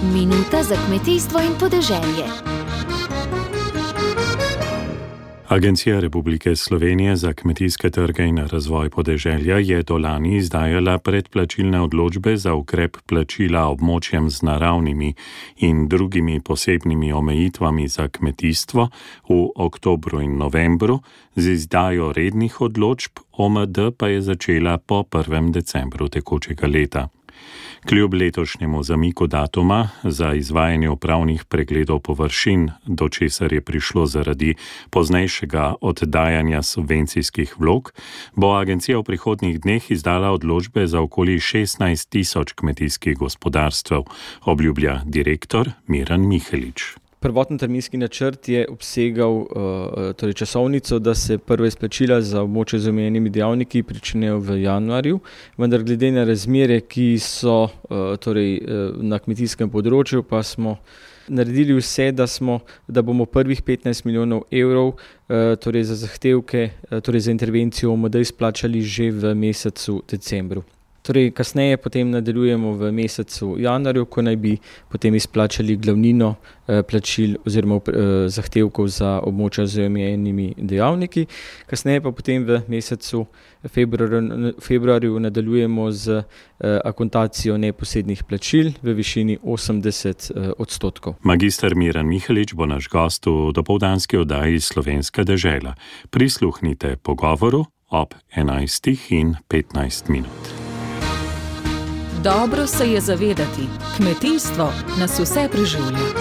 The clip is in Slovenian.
Minuta za kmetijstvo in podeželje. Agencija Republike Slovenije za kmetijske trge in razvoj podeželja je do lani izdajala predplačilne odločbe za ukrep plačila območjem z naravnimi in drugimi posebnimi omejitvami za kmetijstvo v oktobru in novembru, z izdajo rednih odločb OMD pa je začela po 1. decembru tekočega leta. Kljub letošnjemu zamiku datuma za izvajanje upravnih pregledov površin, do česar je prišlo zaradi poznejšega oddajanja subvencijskih vlog, bo agencija v prihodnjih dneh izdala odločbe za okoli 16.000 kmetijskih gospodarstev, obljublja direktor Miran Mihelič. Prvotni terminski načrt je obsegal časovnico, da se prve izplačila za območje z omejenimi dejavniki pričnejo v januarju, vendar glede na razmere, ki so na kmetijskem področju, pa smo naredili vse, da bomo prvih 15 milijonov evrov za zahtevke, za intervencijo OMD izplačali že v mesecu decembru. Kasneje potem nadaljujemo v mesecu januarju, ko naj bi potem izplačali glavnino plačil oziroma zahtevkov za območja z omejenimi dejavniki. Kasneje pa potem v mesecu februarju nadaljujemo z akontacijo neposrednih plačil v višini 80%. Magister Miran Mihelič bo naš gost v dopoldanski oddaji Slovenska dežela. Prisluhnite pogovoru ob 11:15. Dobro se je zavedati, kmetijstvo nas vse preživlja.